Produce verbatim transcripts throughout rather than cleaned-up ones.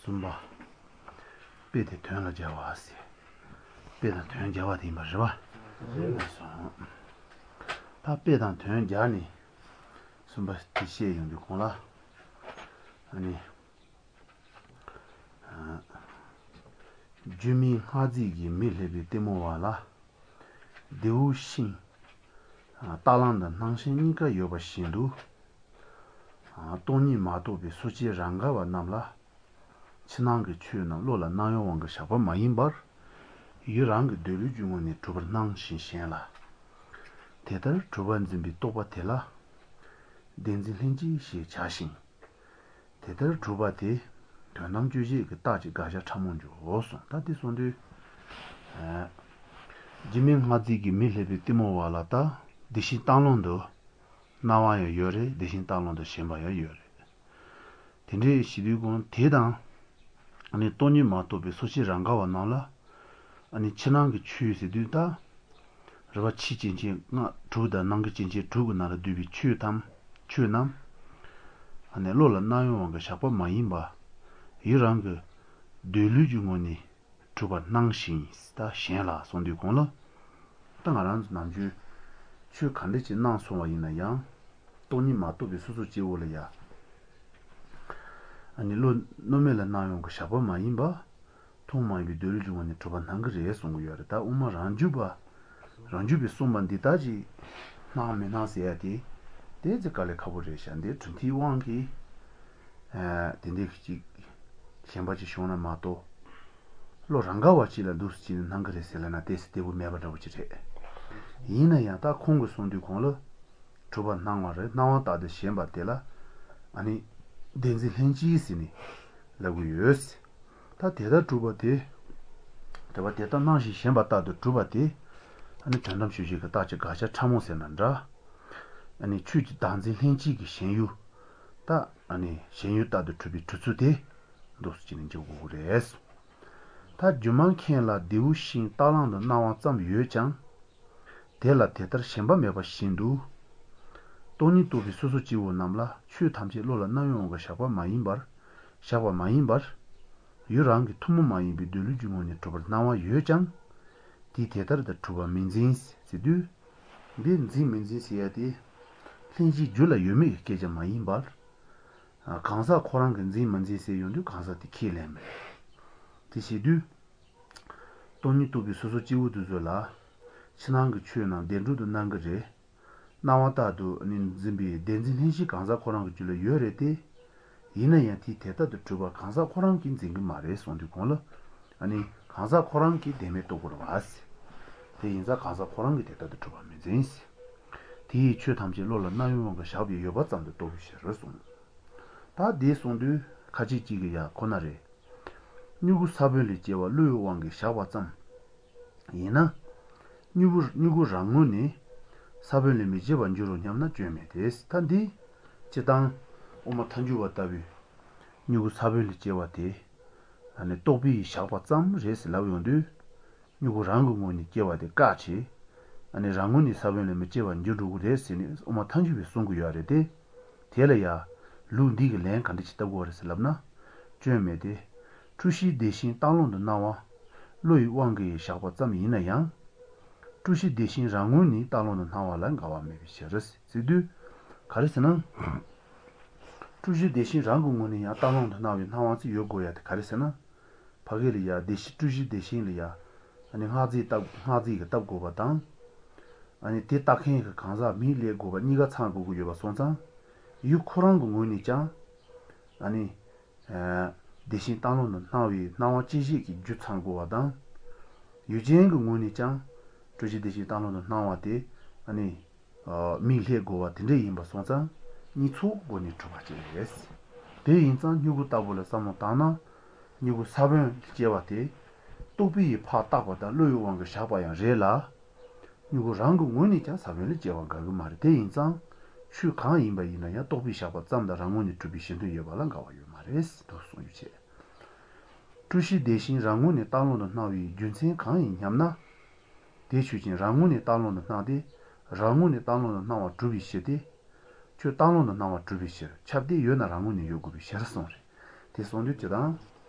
གསུམ་པ། དཔེ་དེ་དོན་ལ་སྦྱར་བ། དཔེ་དང་དོན་སྦྱར་བ་དེ་ཡིན་པ་རེད་པ། གསུངས། ད་དཔེ་དང་དོན་སྦྱར་ནས་གསུམ་པ་དེ་བཤད་ཡོང་དུས་གོང་ལ། ཨ་ནི། སྒྱུ་མའི་སྔགས་རྫས་ཀྱིས་མི་ལྷད་པའི་ལྟད་མོ་བ་ལ། རྡེའུ་ཤིང། རྟ་གླང་དང་སྣང་ཞེན་གཉིས་ཀ་ཡོད་པ་བཞིན་དུ། སྟོང་ཉིད་མ་རྟོགས་པའི་སོ་སྐྱེ་རང་དགའ་བ་རྣམས་ལ། ཕྱི་ནང་གི་ཆོས་རྣམས་བློ་ལ་སྣང་བའི་དབང་གིས་བཞག་པ་མ་ཡིན་པར། ཡུལ་རང་གི་སྡོད་ལུགས་ཀྱི་ངོས་ནས་གྲུབ་པར་སྣང་ཞིང་ཞེན་ལ། དེ་ལྟར་གྲུབ་པར་འཛིན་པའི་རྟོག་པ་དེ་ལ། བདེན་འཛིན་ལྷན་སྐྱེས་ཞེས་བྱ་ཞིང། དེ་ལྟར་གྲུབ་པ་དེ་དོན་དམ་དཔྱོད་བྱེད་ཀྱི་རྟགས་ཀྱི་དགག་བྱ་ཕྲ་མོ་འཇོག་གསུངས་ད་དེ་གསུངས་དུས། སྒྱུ་མའི་སྔགས་རྫས་ཀྱིས་མི་ལྷད་པའི་གཏི་མུག་བ་ལ་ལྟ། བདེ་གཤེགས་སྟག་ལུང་དུ་སྣང་བ་ཡང་ཡོད་རེད་བདེ་གཤེགས་སྟག་ལུང་དུ་ཞེན་པ་ཡང་ཡོད་རེད། དེ་འདྲའི་ཞི་དུལ་གོང་དེ་དང། སྟོང་ཉིད་མ་རྟོགས་པའི་སོ་སྐྱེ་རང་དགའ་བ་རྣམས་ལ། ཕྱི་ནང་གི་ཆོས་ཟེར་དུས་ད། རེ་བ་ཕྱིའི་སྐྱེ་མཆེད་ལྔ་དྲུག་དང་ནང་གི་སྐྱེ་མཆེད་དྲུག་གི་ནང་ལ་བསྡུས་པའི་ཆོས་ཐམས་ཆོས་རྣམས། བློ་ལ་སྣང་བའི་དབང་གིས་བཞག་པ་མ་ཡིན་པ། ཡུལ་རང་གི་སྡོད་ལུས་ཀྱི་ངོས་ནས་གྲུབ་པར་སྣང་ཞིང་ད་གཞན་ལ་སོང་དུས་གོང་ལ། ད་ང་རང་ཚོ་ནམ་རྒྱུན་ཆོས་ག་འདྲ་ཅིག་སྣང་སོང་བ་ཡིན་ན་ཡང། སྟོང་ཉིད་མ་རྟོགས་པའི་སོ་སོ་སྐྱེ་བོ་ལ་ཡ། བློ་གནོད་མེད་ལ་སྣང་བའི་དབང་གིས་བཞག་པ་མ་ཡིན་པ། ཐུན་མོང་མ་ཡིན་པའི་སྡོད་ལུགས་ཀྱི་ངོས་ནས་གྲུབ་པ་སྣང་གི་རེད་གསུང་གི་ཡོད་རེད་ད་དབུ་མ་རང་རྒྱུད་པ་རང་རྒྱུད་པས་གསུངས་པ་འདི་ལྟ་ཅིག་སྣང་མི་སྣང་ཟེར་ཡ་དེ་དེ་ཚེ་དཀའ་ལས་ཁག་པོ་རེད་ཤག་འདིར་གྲུབ་མཐའི་དབང་གིས་དེ་འདྲའི་ཅིག་ཞེན་པ་ཅིག་བྱུང་ན་མ་གཏོགས་བློ་རང་ག་བ་ཅིག་ལ་འདུག་སེ་ཅིག་ནས་སྣང་གི་རེད་ཟེར་ལབ་ན་དེ་སེ་བདེ་པོ་མེད་པ་འདྲ་པོ་ཅིག་རེད། ཡིན་ན་ཡང་ད་ཁོང་གིས་གསུང་དུས་གོང་ལ་གྲུབ་པ་སྣང་བ་རེད་སྣང་བ་ལྟར་དུ་ཞེན་པ་དེ་ལ་ཨ་ནི་བདེན་འཛིན་ལྷན་སྐྱེས་ཟེར་ནས་ལབ་གི་ཡོད། ད་དེ་ལྟར་གྲུབ་པ་དེ། དེ་བ་དེ་ལྟར་སྣང་ཞིང་ཞེན་པ་ལྟར་དུ་གྲུབ་པ་དེ། ཨ་ནི་དོན་དམ་དཔྱོད་བྱེད་ཀྱི་རྟགས་ཀྱི་དགག་བྱ་ཕྲ་མོ་ཟེར་ན་འདྲ། ཨ་ནི་ཆོས་ཀྱི་བདག་འཛིན་ལྷན་སྐྱེས་ཀྱི་ཞེན་ཡུལ། ད་ཨ་ནི་ཞེན་ཡུལ་ལྟར་དུ་གྲུབ་པའི་གྲུབ་ཚུལ་དེ། འདུག་སེ་བྱས་ནས་འཇོག་དགོས་ཀྱི་རེད། ད་སྒྱུ་མ་མཁན་ལ་རྡེའུ་ཤིང་རྟ་གླང་དུ་སྣང་བ་ཙམ་ཡོད་ཀྱང། དེ་ལ་དེ་ལྟར་ཞེན་པ་མེད་པ་བཞིན་དུ། སྟོང་ཉིད་རྟོགས་པའི་སོ་སོ་སྐྱེ་བོ་རྣམས་ལ་ཆོས་ཐམས་ཅད་བློ་ལ་སྣང་བའི་དབང་གིས་བཞག་པ་མ་ཡིན་པར། བཞག་པ་མ་ཡིན་པར། ཡུལ་རང་གི་ཐུན་མོང་མ་ཡིན་པའི་སྡོད་ལུགས་ཀྱི་ངོས་ནས་གྲུབ་པར་སྣང་བ་ཡོད་ཀྱང། དེས་དེ་ལྟར་དུ་གྲུབ་པ་མི་འཛིན་ཟེར་དུས། འདི་འཛིན་མི་འཛིན་ཟེར་ཡ་དེ། ལྷན་སྐྱེས་རྒྱུད་ལ་ཡོད་མེད་ཀྱི་སྐད་ཆ་མ་ཡིན་པར། གང་ཟག་ཁོ་རང་གིས་འཛིན་མི་འཛིན་ཟེར་ཡོང་དུས་གང་ཟག་དེ་ཁས་ལེན་མི་རེད། དེ་བྱེད་དུས། སྟོང་ཉིད་རྟོགས་པའི་སོ་སོ་སྐྱེ་བོ་དེ་ཚོ་ལ། ཕྱི་ནང་གི་ཆོས་རྣམས་བདེན་གྲུབ་ཏུ་སྣང་གི་རེད། སྣང་བ་ལྟར་དུ་ནི་འཛིན་པའི་བདེན་འཛིན་ལྷན་སྐྱེས་གང་ཟག་ཁོ་རང་གི་རྒྱུད་ལ་ཡོད་རེད་དེ། ཡིན་ན་ཡང་དེས་དེ་ལྟར་དུ་གྲུབ་པ་གང་ཟག་ཁོ་རང་གིས་འཛིན་གྱི་མ་རེད་གསུངས་དུས་གོང་ལ། ནི་གང་ཟག་ཁོ་རང་གིས་བདེན་མེད་རྟོགས་དགོས་རེད་བ། དེ་ཡིན་ཙང་གང་ཟག་ཁོ་རང་གིས་དེ་ལྟར་དུ་གྲུབ་པ་མི་འཛིན། དེ་ཡིས་ཆོས་ཐམས་ཅད་བློ་ལ་སྣང་བའི་དབང་གིས་བཞག་པའི་ཡོད་པ་ཙམ་དུ་རྟོགས་པའི་ཕྱིར་རོ་གསུངས། ད་དེ་གསུངས་དུས་ཁ་ཅིག་ཅིག་གིས་ཡ་ཁོ་ན་རེ། མྱུ་གུ་ས་བོན་ལས་སྐྱེ་བ་བློའི་དབང་གིས་བཞག་པ་ཙམ་ཡིན་ན། མྱུ་གུ་རང་ངོས་ནས་ས་བོན་ལས་མི་སྐྱེ་བར་འགྱུར་རོ་སྙམ་ན་སྐྱོན་མེད་དེ། ད་འདི་སྤྱིར་བཏང་དབུ་མ་ཐལ་འགྱུར་བ་ལྟ་བུས་མྱུ་གུ་ས་བོན་ལས་སྐྱེ་བ་དེ་རྟོག་པས་བཞག་པ་ཙམ་རེད་ཟེར་ལབ་ཡོང་དུས། མྱུ་གུ་རང་གི་ངོས་ནས་སྐྱེ་བ་དེ་བཀག་བྱས། རང་ངོས་ནས་ས་བོན་ལས་མི་སྐྱེ་བར་འགྱུར་འགྲོ་གི་རེད་ཟེར་ནས་དབུ་མ་ཐལ་འགྱུར་བས་གསུང་གི་ཡོད་རེད་དེ། དེ་ལ་ཡ། ལུགས་འདི་གི་ལན་ག་འདྲ་ཞིག་བཏབ་དགོས་རེད་ཟེར་ལབ་ན། སྐྱོན་མེད་དེ། འཁྲུལ་གཞིའི་བདེན་ཞེན་བཏགས་རློམ་དུ་སྣང་བ། བློ་ཡི་དབང་གིས་བཞག་པ་ཙམ་ཡིན་ན་ཡང། སྤྲུལ་གཞི་བདེན་ཞེན་རང་ངོས་ནས་བཏགས་རློམ་དུ་སྣང་བ་ལ་འགལ་བ་མེད་པའི་ཕྱིར། ཟེར་དུས། ག་རེ་ཟེར་ན། འཁྲུལ་གཞི་བདེན་ཞེན་རང་གི་ངོས་ནས་ཡང་བཏགས་རློམ་དུ་སྣང་བའི་སྣང་བ་ཅིག་ཡོད་དགོས་ཡ་དེ་ག་རེ་ཟེར་ན། ཕ་གི་ལ་ཡ་བདེན་ཞེན་སྤྲུལ་གཞི་བདེན་ཞེན་ལ་ཡ། ཨ་ནི་སྔགས་རྫས་བཏབ་སྔགས་རྫས་ཀྱིས་བཏབ་དགོས་པ་དང། ཨ་ནི་དེ་བཏབ་མཁན་གྱི་གང་ཟག་མིས་ལས་དགོས་པ་གཉིས་ཀ་ཚང་དགོས་ཀྱི་ཡོད་པ་སོང་ཙང། ཡུལ་ཁོ་རང་གི་ངོས་ནས་ཀྱང། ཨ་ནི། བདེན་ཞེན་བཏགས་རློམ་དུ་སྣང་བའི་སྣང་བ་སྐྱེ་བྱེད་ཀྱི་རྒྱུ་ཚང་དགོས་པ་དང། ཡུལ་ཅན་གྱི་ངོས་ནས་ཀྱང། སྤྲུལ་གཞི་བདེན་ཞེན་བཏགས་རློམ་དུ་སྣང་བ་དེ། ཨ་ནི། མིས་བསླད་དགོས་པ་དེ་འདྲ་ཡིན་པ་སོང་ཙང། གཉིས་ཚོགས་སྒོ་ནས་གྲུབ་པ་ཅིག་རེད། དེ་ཡིན་ཙང་སྨྱུ་གུ་ལྟ་བུ་ལ་བསམ་བློ་བཏང་ན། མྱུ་གུ་ས་བོན་སྐྱེ་བ་དེ། རྟོག་པས་ཕར་བཏགས་པ་དང་བློ་ཡི་དབང་གིས་བཞག་པ་ཡང་རེད་ལ། མྱུ་གུ་རང་གི་ངོས་ནས་ཀྱང་ས་བོན་ལས་སྐྱེ་བ་འགལ་གྱི་མ་རེད་དེ་ཡིན་ཙང། ཆོས་གང་ཡིན་པ་ཡིན་ན་ཡང་རྟོག་པས་བཞག་པ་ཙམ་དང་རང་ངོས་ནས་གྲུབ་པའི་གཞི་མཐུན་ཡོད་པ་ལ་འགལ་བ་ཡོད་མ་རེད་དོ་གསུངས་རྒྱུ་བྱས། སྤྲུལ་གཞི་བདེན་ཞེན་རང་ངོས་ནས་བཏགས་རློམ་དུ་སྣང་བའི་རྒྱུ་མཚན་གང་ཡིན་སྙམ་ན། དེ་ཆོས་ཅན་རང་ངོས་ནས་བཏགས་རློམ་དུ་སྣང་སྟེ། རང་ངོས་ནས་བཏགས་རློམ་དུ་སྣང་བ་གྲུབ་པའི་ཕྱིར་ཏེ། ཁྱོད་བཏགས་རློམ་དུ་སྣང་བ་གྲུབ་པའི་ཕྱིར་ཁྱབ་སྟེ་ཡོད་ན་རང་ངོས་ནས་ཡོད་དགོས་པའི་ཕྱིར་གསུངས་རེད། དེ་གསུངས་དུས་ཅི་དང།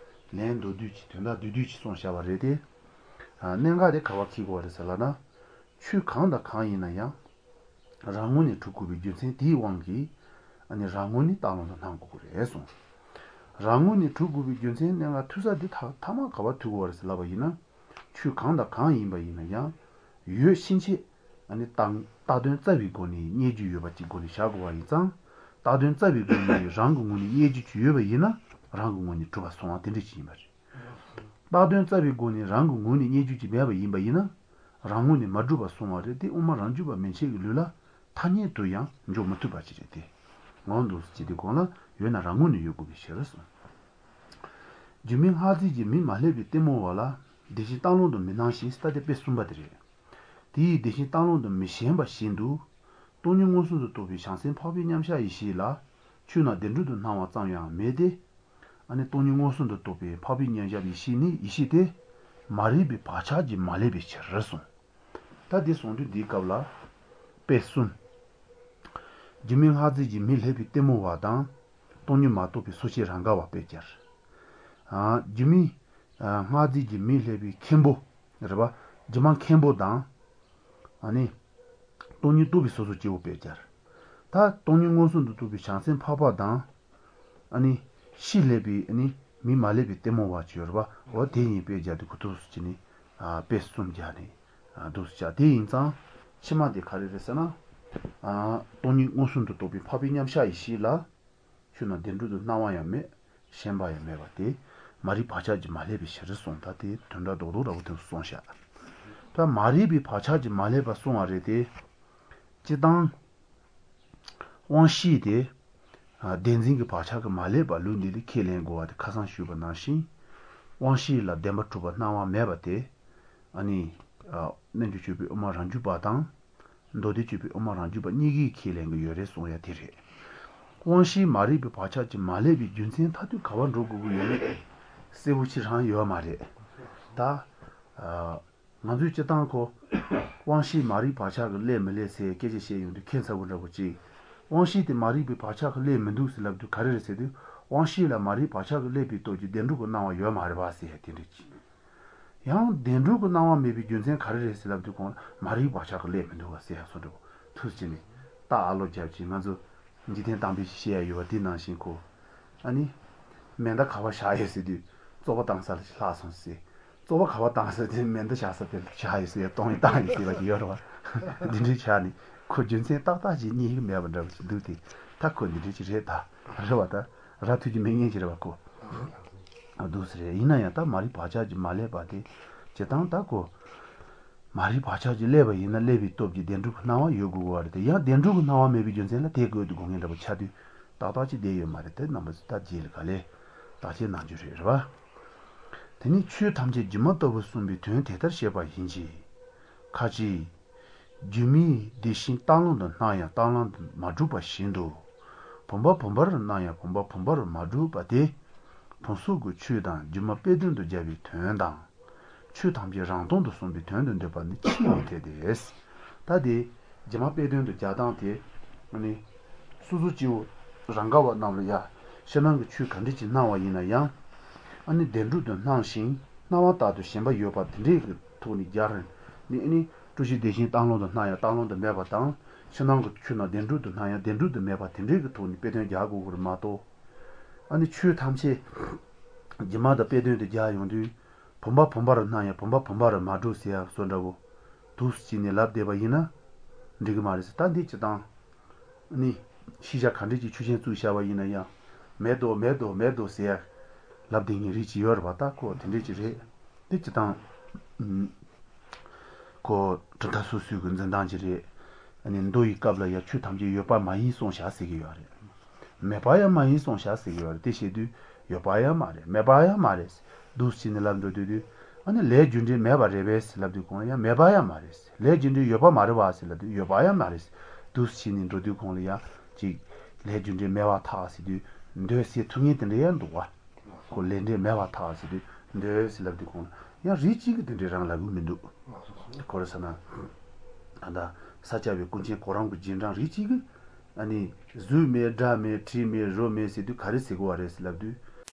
ལན་མདོར་བསྡུས་ཀྱི་དོན་དག་བསྡུས་བསྡུས་ཀྱིས་གསུངས་བཞག་པ་རེད་དེ། གནད་འགག་དེ་ག་པར་འཁེལ་དགོས་པ་རེད་ཟེར་ལབ་ན། ཆོས་གང་དང་གང་ཡིན་ན་ཡང། རང་ངོས་ནས་གྲུབ་དགོས་པའི་རྒྱུ་མཚན་དེའི་དབང་གིས། ཨ་ནི་རང་ངོས་ནས་བཏགས་ལོང་དུ་སྣང་དགོས་ཀྱི་རེད་གསུངས། རང་ངོས་ནས་གྲུབ་དགོས་པའི་རྒྱུ་མཚན་གནད་འགག་ཐུག་ས་འདི་ཐ་མ་ག་པར་ཐུག་དགོས་པ་རེད་ཟེར་ལབ་པ་ཡིན་ན། ཆོས་གང་དང་གང་ཡིན་པ་ཡིན་ན་ཡང། ཡོད་ཕྱིན་ཆད། ཨ་ནི་བཏགས་དོན་བཙལ་བའི་སྒོ་ནས་རྙེད་རྒྱུ་ཡོད་པ་ཅིག་སྒོ་ནས་བཞག་དགོས་པ་ཡིན་ཙང། བཏགས་དོན་བཙལ་བའི་སྒོ་ནས་རང་གི་ངོས་ནས་རྙེད་རྒྱུ་ཅིག་ཡོད་པ་ཡིན་ན་རང་གི་ངོས་ནས་གྲུབ་པ་སོང་བ་དེ་འདྲ་ཅིག་ཡིན་པ་རེད། བཏགས་དོན་བཙལ་བའི་སྒོ་ནས་རང་གི་ངོས་ནས་རྙེད་རྒྱུ་ཅིག་མེད་པ་ཡིན་པ་ཡིན་ན། རང་ངོས་ནས་མ་གྲུབ་པ་སོང་བ་རེད་དེ་དབུ་མ་རང་རྒྱུད་པ་མན་ཆད་ཀྱི་ལུགས་ལ་ཐ་སྙད་དུ་ཡང་འཇོག་མི་ཐུབ་པ་ཅིག་རེད་དེ། འོ་འདུག་སེ་བྱེད་དུས་གོང་ལ་ཡོད་ན་རང་ངོས་ནས་ཡོད་དགོས་པའི་ཕྱིར་གསུངས། སྒྱུ་མའི་སྔགས་རྫས་ཀྱིས་མིས་མ་བསླད་པའི་ལྟད་མོ་བ་ལ་བདེན་ཞེན་བཏགས་རུང་དུ་མི་སྣང་ཞིང་ཟེར་ད་དེ་དཔེ་གསུམ་པ་དེ་རེད། དེ་ཡིས་བདེན་ཞེན་བཏགས་རུང་དུ་མི་ཞེན་པ་བཞིན་དུ། སྟོང་ཉིད་མངོན་སུམ་དུ་རྟོགས་པའི་བྱང་སེམས་འཕགས་པའི་མཉམ་གཞག་ཡེ་ཤེས་ལ། ཆོས་རྣམས་བདེན་གྲུབ་ཏུ་སྣང་བ་ཙམ་ཡང་མེད་དེ། ཨ་ནི་སྟོང་ཉིད་མངོན་སུམ་དུ་རྟོགས་པའི་འཕགས་པའི་མཉམ་གཞག་ཡེ་ཤེས་ནི་ཡེ་ཤེས་དེ། མ་རིག་པའི་བག་ཆགས་ཀྱིས་མ་བསླད་པའི་ཕྱིར་གསུངས། ད་དེ་གསུང་དུས་འདིའི་སྐབས་ལ། དཔེ་གསུམ། སྒྱུ་མའི་སྔགས་རྫས་ཀྱིས་མིག་བསླད་པའི་ལྟད་མོ་བ་དང། སྟོང་ཉིད་མ་རྟོགས་པའི་སོ་སྐྱེ་རང་དགའ་བ་དཔེ་སྦྱར། སྒྱུ་མའི་སྔགས་རྫས་ཀྱིས་མིག་བསླད་པའི་མཁན་པོ། རེད་པ། སྒྱུ་མ་མཁན་པོ་དང། ཨ་ནི། སྟོང་ཉིད་རྟོགས་པའི་སོ་སོ་སྐྱེ་བོ་དཔེ་སྦྱར། ད་སྟོང་ཉིད་མངོན་སུམ་དུ་རྟོགས་པའི་བྱང་སེམས་འཕགས་པ་དང། ཨ་ནི། ཕྱིས་བསླད་པའི་ཨ་ནི། མིས་མ་བསླད་པའི་ལྟད་མོ་བ་བྱས་རེད་པ། འོ་དེ་གཉིས་དཔེ་སྦྱར་ཏེ་གུ་ཐུགས་སུ་བྱས་ནས། དཔེ་གསུམ་སྦྱར་ནས་འདུག་བྱ། དེ་ཡིན་ཙང། ཕྱི་མ་དེ་ག་རེ་རེད་ཟེར་ན། སྟོང་ཉིད་མངོན་སུམ་དུ་རྟོགས་པའི་འཕགས་པའི་མཉམ་གཞག་ཡེ་ཤེས་ལ། ཆོས་རྣམས་བདེན་གྲུབ་ཏུ་སྣང་བ་ཡང་མེད། ཞེན་པ་ཡང་མེད་པ་དེ། མ་རིག་བག་ཆགས་ཀྱིས་མ་བསླད་པའི་ཕྱིར་གསུངས་ད་དེ་དོན་དག་རྡོག་རྡོག་འདྲ་བོ་དེ་གསུངས་བཞག། ད་མ་རིག་པའི་བག་ཆགས་ཀྱིས་མ་བསླད་པ་གསུངས་པ་རེད་དེ། སྤྱིར་བཏང། དབང་ཤེས་དེ། བདེན་འཛིན་གྱི་བག་ཆགས་ཀྱིས་མ་བསླད་པ་ལུགས་འདི་ལས་ཁས་ལེན་དགོས་པ་དེ་ཁ་སང་ཞུས་པ་ནང་བཞིན། དབང་ཤེས་ལ་བདེན་པ་གྲུབ་པ་སྣང་བ་མེད་པ་དེ། ཨ་ནི། རྣལ་འབྱོར་སྤྱོད་པའི་དབུ་མ་རང་རྒྱུད་པ་དང། མདོ་སྡེ་སྤྱོད་པའི་དབུ་མ་རང་རྒྱུད་པ་གཉིས་ཀས་ཁས་ལེན་གྱི་ཡོད་རེད་གསུང་ཡ་དེ་རེད། དབང་ཤེས་མ་རིག་པའི་བག་ཆགས་ཀྱིས་མ་བསླད་པའི་རྒྱུ་མཚན་མཐའ་ཐུག་ག་པར་འགྲོ་དགོས་ཀྱི་ཡོད་མེད་གསལ་པོ་ཅིག་རང་ཡོད་མ་རེད་ད། ང་ཚོས་སྤྱིར་བཏང་ཁོ། དབང་ཤེས་མ་རིག་བག་ཆགས་ཀྱིས་བསླད་མི་བསླད་ཟེར་སྐད་ཆ་བཤད་ཡོང་དུས་ཁྱད་མཚར་པོ་འདྲ་པོ་ཅིག། དབང་ཤེས་དེ་མ་རིག་པའི་བག་ཆགས་ཀྱིས་བསླད་མི་འདུག་ཟེར་ལབ་དུས་ག་རེ་རེད་ཟེར་དུས་དབང་ཤེས་ལ་མ་རིག་བག་ཆགས་ཀྱིས་བསླད་པའི་སྟོབས་ཀྱིས་བདེན་གྲུབ་ཀྱི་སྣང་བ་ཡོད་མ་རེད་པ་ཟེར་དེ་འདྲ་ཅིག། ཡང་བདེན་གྲུབ་ཀྱི་སྣང་བ་མེད་པའི་རྒྱུ་མཚན་ག་རེ་རེད་ཟེར་ལབ་དུས་ཁོང་ལ་མ་རིག་བག་ཆགས་ཀྱིས་བསླད་མི་འདུག་བ་ཟེར་ཡག་སོང་འདྲ་པོ་ཐུགས་ཆེ་ནས། རྟ་ཨ་ལོ་རྒྱབ་ཅིག་ང་ཚོ་འཇིག་རྟེན་གཏམ་དཔེ་ཞིག་བཤད་ཡ་ཡོད་པ་འདི་ནང་བཞིན་ཁོ། ཨ་ནི། མེ་མདའ་ག་པར་བཞག་ཡོད་ཟེར་དུས་བཙོག་པ་བཏང་ས་ལ་ལྷག་སོང་ཟེར། བཙོག་པ་ག་པར་བཏང་ཟེར་དེ་མེ་མདའ་བཞག་ས་དེར་བཞག་ཡོད་ཟེར་གཏོང་ཡི་བཏང་ཡོད་ཟེར་བ་ཞིག་ཡོད་རེད་བ། འདི་འདྲའི་ཆ་ནས་ཁོ་རྒྱུ་མཚན་ཏག་ཏག་ཅིག་རྙེད་ཀྱི་མེད་པ་འདྲ་བོ་ཞིག་འདུག་སྟེ་ད་ཁོ་འདི་འདྲའི་ཅིག་རེད་ད་རེད་བ་ད་ར་ཐུག་གི་མི་ངན་ཅིག་རེད་བ་ཁོ། འདུག་ཟེར་ཡིན་ན་ཡང་ད་མ་རིག་བག་ཆགས་ཀྱིས་མ་བསླད་པ་དེ་བྱེད་སྟངས་ད་ཁོ། མ་རིག་བག་ཆགས་ཀྱིས་བསླད་པ་ཡིན་ན་བསླད་པའི་སྟོབས་ཀྱིས་བདེན་གྲུབ་ཀྱི་སྣང་བ་ཡོད་དགོས་དགོས་བ་རེད་དེ་ཡང་བདེན་གྲུབ་ཀྱི་སྣང་བ་མེད་པའི་རྒྱུ་མཚན་ལ་དེ་དགོས་དགོས་ངེས་འདྲ་བོ་ཆགས་དུས་ཏག་ཏག་ཅིག་བསྡད་ཡོད་མ་རེད་དེ་རྣམ་པ་ཚོས་ད་རྗེས་ལ་ག་ལེར་བརྟག་དཔྱད་གནང་རྒྱུ་རེད་རེད་བ། དེ་ནས་ཆོས་ཐམས་ཅད་སྒྱུ་མ་ལྟ་བུར་གསུངས་པའི་དོན་དེ་ལྟར་བཤད་པ་ཡིན་གྱི། ཁ་ཅིག། སྒྱུ་མའི་བདེན་ཞེན་བཏགས་རློམ་དུ་སྣང་ཡང་བཏགས་རློམ་དུ་མ་གྲུབ་པ་བཞིན་དུ། བུམ་པ་བུམ་པར་སྣང་ཡང་བུམ་པ་བུམ་པར་མ་གྲུབ་པ་དེ། བུམ་སོགས་ཀྱི་ཆོས་དང་སྒྱུ་མ་དཔེ་དོན་དུ་སྦྱར་བའི་དོན་དང། ཆོས་ཐམས་ཅད་རང་སྟོང་དུ་གསུངས་པའི་དོན་དུ་འདོད་པ་ནི་ཆེས་མི་འཐད་དེ། ད་དེ། སྒྱུ་མ་དཔེ་དོན་དུ་སྦྱར་སྟངས་དེ། ནི། སོ་སོ་སྐྱེ་བོ་རང་དགའ་བ་རྣམས་ལ་ཡང་ཕྱི་ནང་གི་ཆོས་ག་འདྲ་ཅིག་སྣང་བ་ཡིན་ན་ཡང། ཨ་ནི་བདེན་གྲུབ་ཏུ་སྣང་ཞིང་སྣང་བ་ལྟར་དུ་ཞེན་པ་ཡོད་པ་དེ་འདྲའི་གི་ཐོག་ནས་སྦྱར་ནས་ཨ་ནི་སྤྲུལ་གཞི་བདེན་ཞེན་བཏགས་རློམ་དུ་སྣང་ཡང་བཏགས་རློམ་དུ་མེད་པ་དང་ཕྱི་ནང་གི་ཆོས་རྣམས་བདེན་གྲུབ་ཏུ་སྣང་ཡང་བདེན་གྲུབ་ཏུ་མེད་པ་དེ་འདྲའི་གི་ཐོག་ནས་དཔེ་དོན་རྒྱག་དགོས་ཀྱི་རེད་མ་གཏོགས། ཨ་ནི་ཆོས་ཐམས་ཅད་སྒྱུ་མ་དང་དཔེ་དོན་དུ་སྦྱར་ཡོང་དུས་བུམ་པ་བུམ་པར་སྣང་ཡང་བུམ་པ་བུམ་པར་མ་གྲུབ་ཟེར་ཡ་བཟོ་འདྲ་བོ་འདུག་སེ་བྱས་ནས་ལབ་བསྡད་པ་ཡིན་ན་འགྲིག་གི་མ་རེད་ཟེར་ད་འདི་སྤྱིར་བཏང། ནི། ཤེས་བྱ་ག་འདྲ་ཅིག་ཆོས་ཅན་བཙུགས་བཞག་པ་ཡིན་ན་ཡང། མེད་དོ་མེད་དོ་མེད་དོ་ཟེར། ལབ་བསྡད་མཁན་རིགས་ཅིག་ཡོད་རེད་པ་ད་ཁོ་དེ་འདྲས་ཅིག་རེད། དེ་སྤྱིར་བཏང། ཁོ་གྲུབ་མཐའ་སོ་སོའི་གི་འཛིན་སྟངས་ཅིག་རེད། ནི་མདོ་ཡི་སྐབས་ལ་ཡང་ཆོས་ཐམས་ཅད་ཡོད་པ་མ་ཡིན་གསུངས་བཞག་ཟེར་གི་ཡོད་རེད། མེད་པ་ཡང་མ་ཡིན་གསུངས་བཞག་ཟེར་གི་ཡོད་རེད་དེ་བཤད་དུས་ཡོད་པ་ཡང་མ་རེད་མེད་པ་ཡང་མ་རེད། འདུག་སེ་བྱས་ནས་ལབ་འགྲོ་དུས་དུས། ཨ་ནི་ལས་རྒྱུ་འབྲས་མེད་པ་རེད་པས་ལབ་དུས་གོང་ལ་ཡང་མེད་པ་ཡང་མ་རེད། ལས་རྒྱུ་འབྲས་ཡོད་པ་མ་རེད་བ་ཟེར་ལབ་དུས་ཡོད་པ་ཡང་མ་རེད། འདུག་སེ་བྱས་ནས་འགྲོ་དུས་གོང་ལ་ཡང་ཅིག། ལས་རྒྱུ་འབྲས་མེད་པར་ཐལ་ཟེར་དུས་འདོད་ཟེར་ཐུབ་མཁན་དེ་འདྲ་ཡང་འདུག་བ། ཁོ་ལས་འབྲས་མེད་པར་ཐལ་ཟེར་དུས་འདོད་ཟེར་ལབ་དུས་གོང་ལ་ཡང་རིགས་གཅིག་གི་དེ་འདྲའི་རང་ལབ་གི་མི་འདུག་ག་རེ་ཟེར་ན། ད་ལྟ་ས་སྐྱ་པའི་ཀུན་མཁྱེན་གོ་རམས་ཀྱི་རྗེས་འབྲང་རིགས་གཅིག་གི། ཨ་ནི། གཟུགས་མེད་སྒྲ་མེད་དྲི་མེད་རོ་མེད་ཟེར་དུས་ག་རེ་ཟེར་དགོས་བ་རེད་ཟེར་ལབ་དུས།